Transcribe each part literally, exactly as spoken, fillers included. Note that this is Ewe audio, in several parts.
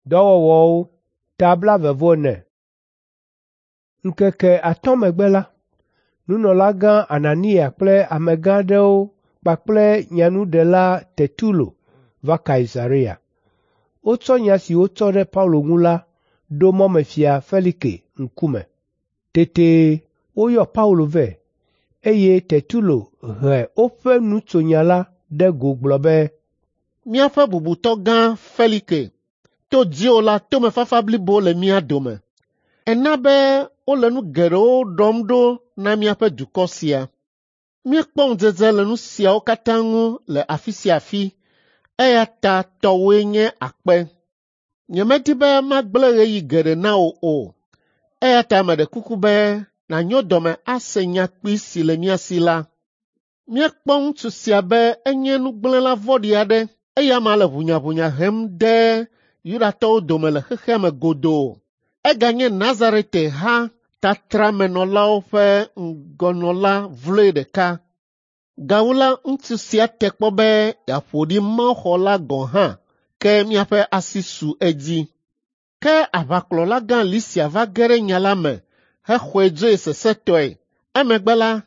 Dɔwɔwɔwo ta blaeve-vɔ-ene. Ŋkeke atɔ̃ megbe la, nunɔlagã Anania kple amegã aɖewo kpakple nyanuɖela Tertulo va Kaisarea. Wotsɔ nya si wotsɔ ɖe Paulo ŋu la ɖo mɔmefia Felike ŋkume. Tete woyɔ Paulo vɛ, eye Tertulo he woƒe nutsonya la ɖe go gblɔ be, Míaƒe bubutɔ gã Felike, to dziwò la tomefafa blibo le mía dome. Èna be wole nu geɖewo ɖɔm ɖo na míaƒe dukɔ sia. Míekpɔ ŋudzedze le nu siawo katã ŋu le afi sia afi, eya ta tɔwòe nye akpe. Nyemedi be magblẽ ɣeyiɣi geɖe na wò o, eya ta meɖe kuku be nànyo dɔme ase nya kpui si le mía si la. Míekpɔ ŋutsu sia be enye nugblẽla vɔ̃ɖi aɖe eya ma le ʋunyaʋunya hem de Yudatɔwo dome le xexea me godoo. Eganye Nazarete ha tatramenɔlawo ƒe ŋgɔnɔla vloe ɖeka. Gawu la, ŋutsu sia te kpɔ be yeaƒo ɖi mawuxɔ la gɔ̃ hã, ke míaƒe asi su edzi. Ke aʋakplɔlagã Lisia va ge ɖe nya la me hexɔe dzoe sesẽtɔe. Emegbe la,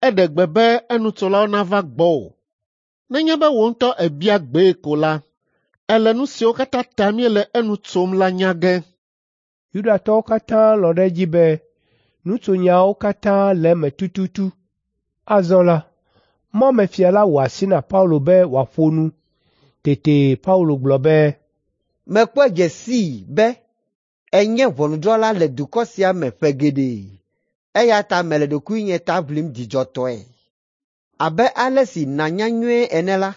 eɖe gbe be enutsolawo nava gbɔwò. Nenye be wò ŋutɔ èbia gbee ko la, èle nu siwo katã ta míele enu tsom la nya ge. Yudatɔwo katã lɔ̃ ɖe edzi be nutsonyawo katã le eme tututu. Azɔ la, mɔmefia la wɔ asi na Paulo be wòaƒo nu. Tete Paulo gblɔ be, Mekpɔe dze sii be ènye ʋɔnudrɔ̃la le dukɔ sia me ƒe geɖe, eya ta mele ɖokuinye ta ʋlim dzidzɔtɔe. Abe ale si nànya nyuie ene la,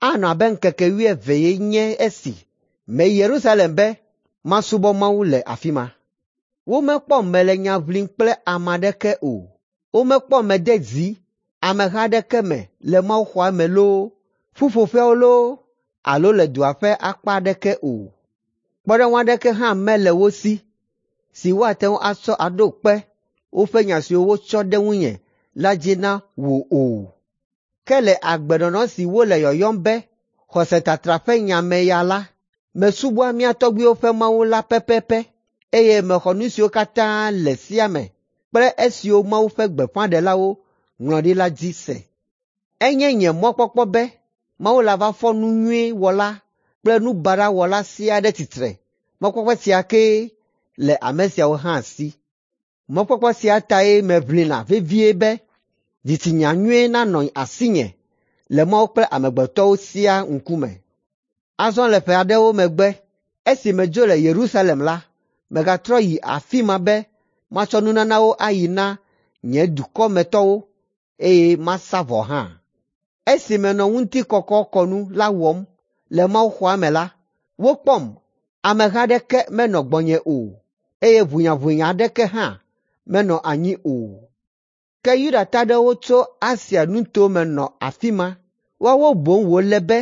anɔ abe ŋkeke wuievee nye esi meyi Yerusalem be masubɔ Mawu le afi ma. Womekpɔm mele nya ʋlim kple ame aɖeke o. Womekpɔm mede zi ameha aɖeke me le mawuxɔa me loo, ƒuƒoƒeawo loo alo le dua ƒe akpa aɖeke o. Kpɔɖeŋu aɖeke hã mele wo si si woate ŋu atsɔ aɖo kpe woƒe nya siwo wotsɔ ɖe ŋunye la dzi na wò o. Ke le agbenɔnɔ si wole yɔyɔm be xɔsetatra ƒe nya me ya la, mesubɔa mía tɔgbuiwo ƒe Mawu la pɛpɛpɛ, eye mexɔ nu siwo katã le sea me kple esiwo Mawu ƒe gbeƒãɖelawo ŋlɔ ɖi la dzi se. Enye nye mɔkpɔkpɔ be Mawu lava fɔ nu nyui wɔla kple nu baɖa wɔla siaa ɖe tsitre. Mɔkpɔkpɔ sia kee le ame siawo hã si. Mɔkpɔkpɔ sia tae meʋlina vevie be dzitsinya nyui nanɔ asinye le Mawu kple amegbetɔwo siaa ŋkume. Azɔ le ƒe aɖewo megbe, esi medzo le Yerusalem la, megatrɔ yi afi ma be matsɔ nunanawo ayi na nye dukɔmetɔwo, eye masa vɔ hã. Esi menɔ ŋutikɔkɔkɔnu la wɔm le mawuxɔa me la, wokpɔm, ameha aɖeke menɔ gbɔnye o, eye ʋunyaʋunya aɖeke hã menɔ anyi o. Ke Yudatɔ aɖewo tso Asia nutome nɔ afi ma. Woawo boŋ wòle be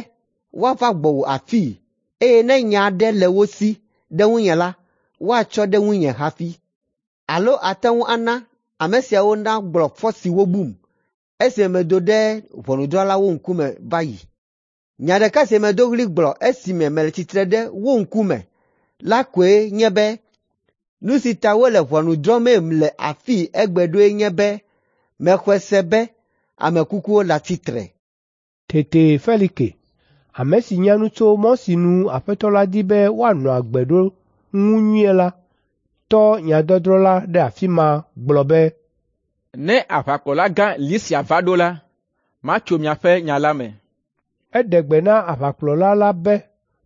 woava gbɔwò afii, eye ne nya aɖe le wo si ɖe ŋunye la, woatsɔ ɖe ŋunye hafi. Alo ate ŋu ana ame siawo nagblɔ fɔ si wobum esime medo ɖe ʋɔnudrɔ̃lawo ŋkume va yi. Nya ɖeka si medo ɣli gblɔ esime mele tsitre ɖe wo ŋkume la koe nye be nu si ta wole ʋɔnu drɔ̃mem le afii egbe ɖoe nye be mexɔe se be ame kukuwo le tsitre. Tete Felike, ame si nya nu tso mɔ si nu Aƒetɔ la di be woanɔ agbe ɖo ŋu nyuie la, tɔ nyadɔdrɔ̃ la ɖe afi ma gblɔ be, Ne aʋakplɔlagã Lisia va ɖo la, matso miaƒe nya la me. Eɖe gbe na aʋakplɔla la be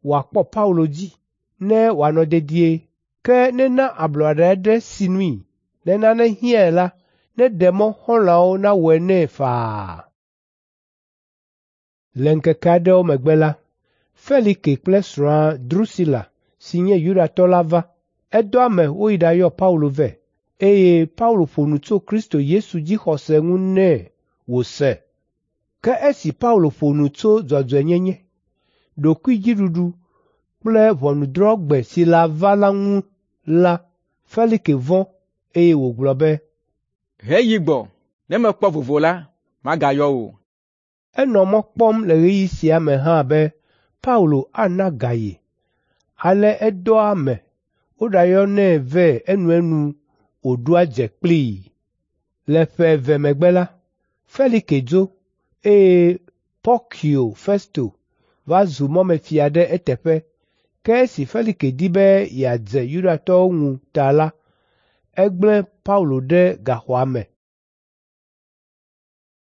wòakpɔ Paulo dzi ne wòanɔ dedie, ke nena ablɔɖe aɖe sinui. Ne nane hiãe la, neɖe mɔ xɔlɔ̃awo nawɔe nɛ faa. Le ŋkeke aɖewo megbe la, Felike kple srɔ̃a Drusila si nye Yudatɔ la va. Edɔ ame woyi ɖayɔ Paulo vɛ, eye Paulo ƒo nu tso Kristo Yesu dzixɔse ŋu nɛ wòse. Ke esi Paulo ƒo nu tso dzɔdzɔenyenye, ɖokuidziɖuɖu kple ʋɔnudrɔ̃gbe si lava la ŋu la, Felike vɔ̃, eye wògblɔ be, Heyi gbɔ, ne mekpɔ vovo la, magayɔ wò. Enɔ mɔ kpɔm le ɣeyiɣi sia me hã be Paulo ana ga ye. Ale edɔa ame woɖayɔnɛ vɛ enuenu wòɖoa dze kplii. Le ƒe eve megbe la, Felike dzo, eye Porkio Festo va zu mɔmefia ɖe eteƒe. Ke esi Felike di be yeadze Yudatɔwo ŋu ta la, egblẽ Paulo ɖe gaxɔa me.